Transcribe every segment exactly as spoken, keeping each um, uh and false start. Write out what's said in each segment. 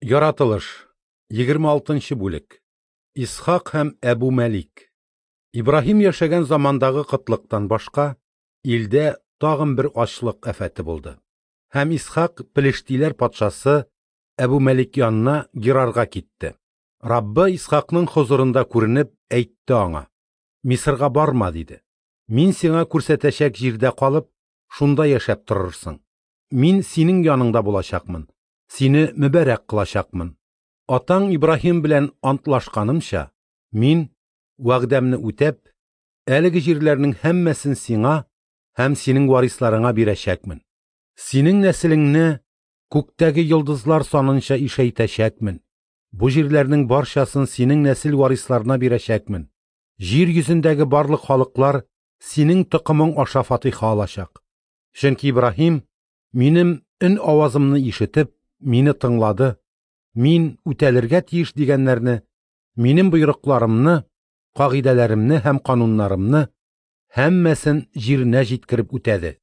Яратылыш, егерме алтынчы бүлек. Исхак һәм Әбу Мәлик. Ибраһим яшәгән замандагы кытлыктан башка, илдә тагын бер ачлык афәте булды. Һәм Исхак Пелештиләр патшасы Әбу Мәлик янына Герарга китте. Раббы Исхакның хозурында күренеп әйтте аңа: Мисырга барма, диде. Мин сиңа күрсәтәчәк җирдә калып, шунда яшәп торырсың. Мин синең яныңда булачакмын, сине мөбарәк кылачакмын. Атаң Ибраһим белән антлашканымча, мин вәгъдәмне үтәп, әлеге җирләрнең һәммәсен сиңа һәм синең варисларыңа бирәчәкмен. Синең нәселеңне күктәге йолдызлар санынча ишәйтәчәкмен. Бу җирләрнең барчасын синең нәсел варисларына бирәчәкмен. Җир йөзендәге барлык халыклар синең токымың аша фатиха алачак. Чөнки Ибраһим минем өн авазымны ишетеп, мине тыңлады. Мин үтәлергә тиеш дигәннәрне, минем боерыкларымны, кагыйдәләремне һәм кануннарымны һәммәсен җиренә җиткереп үтәде.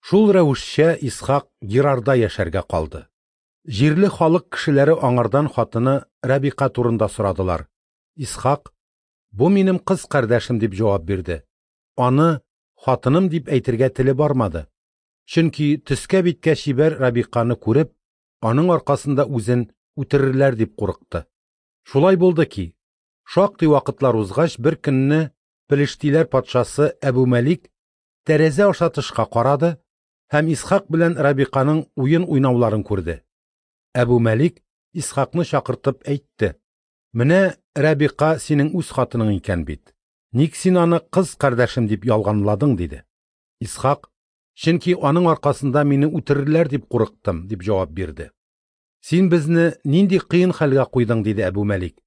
Шул рәвешчә Исхак Герарда яшәргә калды. Җирле халык кешеләре аңардан хатыны Рабиқа турында сорадылар. Исхак: "Бу минем кыз кардәшем", дип җавап бирде. Аны хатыным дип әйтергә теле бармады. Чөнки төскә биткә чибәр Рабиқаны күреп, аның аркасында үзен үтерерләр дип курыкты. Шулай булды ки, шактый вакытлар узгач, бер көнне Пелештиләр патшасы Әбу Мәлик тәрәзә аша тышка карады һәм Исхак белән Рабиқаның уен уйнауларын күрде. Әбу Мәлик Исхакны чакыртып әйтте: "Менә Рабиқа синең үз хатының икән бит. Ник син аны кыз кардәшем дип ялганладың?" диде. Исхак: "Чөнки аның аркасында мине үтерерләр дип курыктым", дип җавап бирде. "Син безне нинди кыен хәлгә куйдың", диде Әбу Мәлик.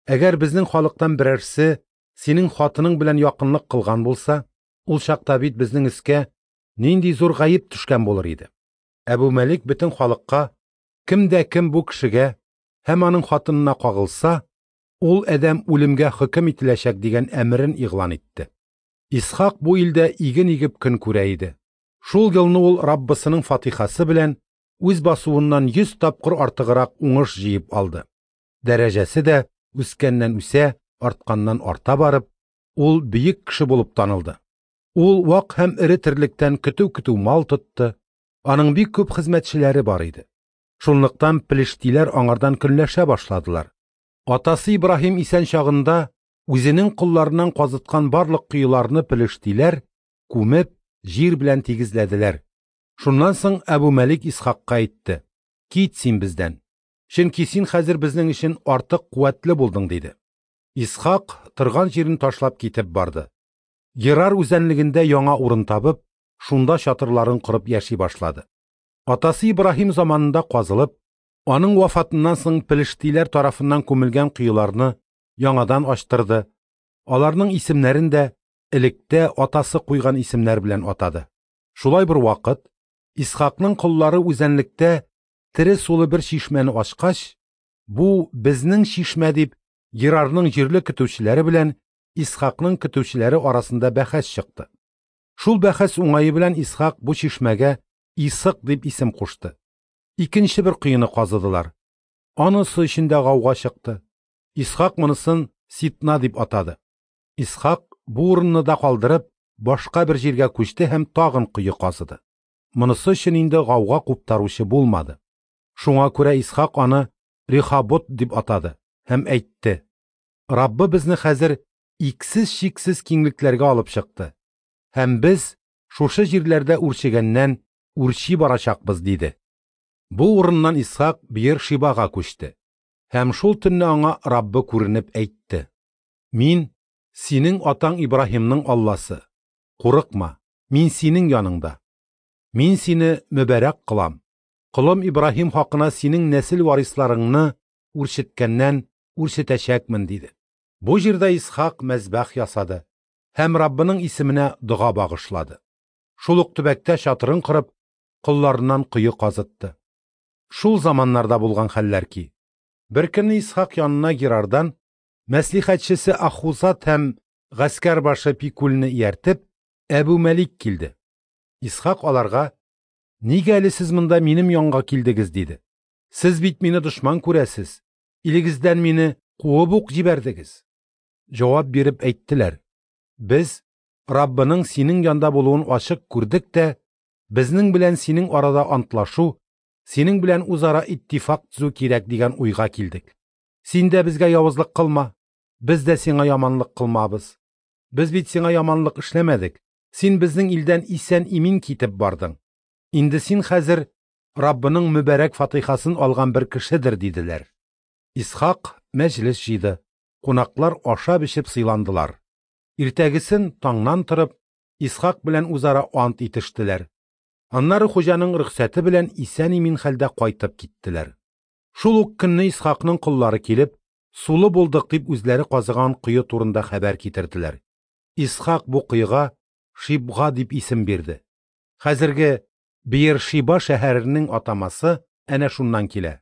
"Әгәр безнең халыктан берәрсе синең хатының белән якынлык кылган булса, ул чакта бит безнең өскә нинди зур гаеп төшкән булыр иде". Әбу Мәлик бөтен халыкка: "Кем дә кем бу кешегә һәм аның хатынына кагылса, ул адәм үлемгә хөкем ителәчәк", дигән әмерен игълан итте. Исхак бу илдә иген игеп көн күрә иде. Шул елны ул Раббысының фатихасы белән үз басуыннан йөз тапкыр артыграк уңыш җыеп алды. Дәрәҗәсе дә үскәннән үсә, артканнан арта барып, ул бөек кеше булып танылды. Ул вак һәм эре терлектән көтү-көтү мал тотты, аның бик күп хезмәтчеләре бар иде. Шунлыктан пелештиләр аңардан көнләшә башладылар. Атасы Ибраһим исән чагында үзенең колларыннан казыткан барлык коеларны пелештиләр күмеп, җир белән тигезләделәр. Шуннан соң Әбу Мәлик Исхакка әйтте: "Кит син бездән, чөнки син хәзер безнең өчен артык куәтле булдың", диде. Исхак торган җирен ташлап китеп барды. Герар үзәнлегендә яңа урын табып, шунда чатырларын корып яши башлады. Атасы Ибраһим заманында казылып, аның вафатыннан соң пелештиләр тарафыннан күмелгән коеларны яңадан ачтырды. Аларның исемнәрен дә электә атасы куйган исемнәр белән атады. Шулай бер вакыт Исхакның коллары үзәнлектә тере сулы бер чишмәне ачкач, "Бу безнең чишмә", дип Герарның җирле көтүчеләре белән Исхакның көтүчеләре арасында бәхәс чыкты. Шул бәхәс уңае белән Исхак бу чишмәгә Исык дип исем кушты. Икенче бер коены казыдылар. Анысы өчен дә гауга чыкты. Исхак монысын Ситна дип атады. Исхак бу урынны да калдырып, башка бер җиргә күчте һәм тагын кое казыды. Монысы өчен инде гауга куптаручы булмады. Шуңа күрә Исхак аны Рехабот дип атады һәм әйтте: "Раббы безне хәзер иксез-чиксез киңлекләргә алып чыкты, һәм без шушы җирләрдә үрчегәннән үрчи барачакбыз", диде. Бу урыннан Исхак Беер-Шибага күчте. Һәм шул төнне аңа Раббы күренеп әйтте: "Мин синең атаң Ибраһимның Алласы. Курыкма, мин синең яныңда. Мин сине мөбарәк кылам. Колым Ибраһим хакына синең нәсел варисларыңны үрчеткәннән үрчетәчәкмен", диде. Бу җирдә Исхак мәзбәх ясады һәм Раббының исеменә дога багышлады. Шул ук төбәктә чатырын корып, колларыннан кое казытты. Шул заманнарда булган хәлләр ки, бер көнне Исхак янына Герардан мәслихәтчесе Ахузат һәм гаскәр башы Пикульне ияртеп, Әбу Мәлик килде. Исхак аларга: "Нигә әле сез монда минем янга килдегез?" диде. Сез бит мине дошман күрәсез, илегездән мине куып ук җибәрдегез. Җавап биреп әйттеләр: Без Раббының синең янда булуын ачык күрдек тә, безнең белән синең арада антлашу, синең белән үзара иттифак төзү кирәк дигән уйга килдек. Син дә безгә явызлык кылма, без дә сиңа яманлык кылмабыз. Без бит сиңа яманлык эшләмәдек, син безнең илдән исән-имин китеп бардың. Инде син хәзер Раббының мөбарәк фатихасын алган бер кешедер, диделәр. Исхак мәҗлес җыйды, кунаклар ашап-эчеп сыйландылар. Иртәгесен таңнан торып, Исхак белән үзара ант итештеләр. Аннары хуҗаның рөхсәте белән исән-имин хәлдә кайтып киттеләр. Шул ук көнне Исхакның коллары килеп, сулы булдык дип үзләре казыган кое турында хәбәр китерделәр. Исхак бу коега Шибга дип исем бирде. Хәзерге Беершиба шәһәренең атамасы әнә шуннан килә.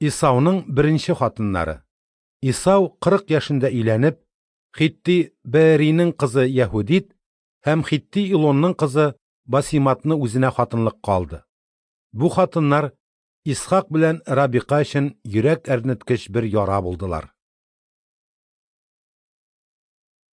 Исауның беренче хатыннары. Исау кырык яшендә өйләнеп, Хитти Беэринең кызы Яһудит һәм Хитти Илонның кызы Басиматны үзенә хатынлыкка алды. Бу хатыннар Исхак белән Рабиқа өчен йөрәк әрнеткеч бер яра булдылар.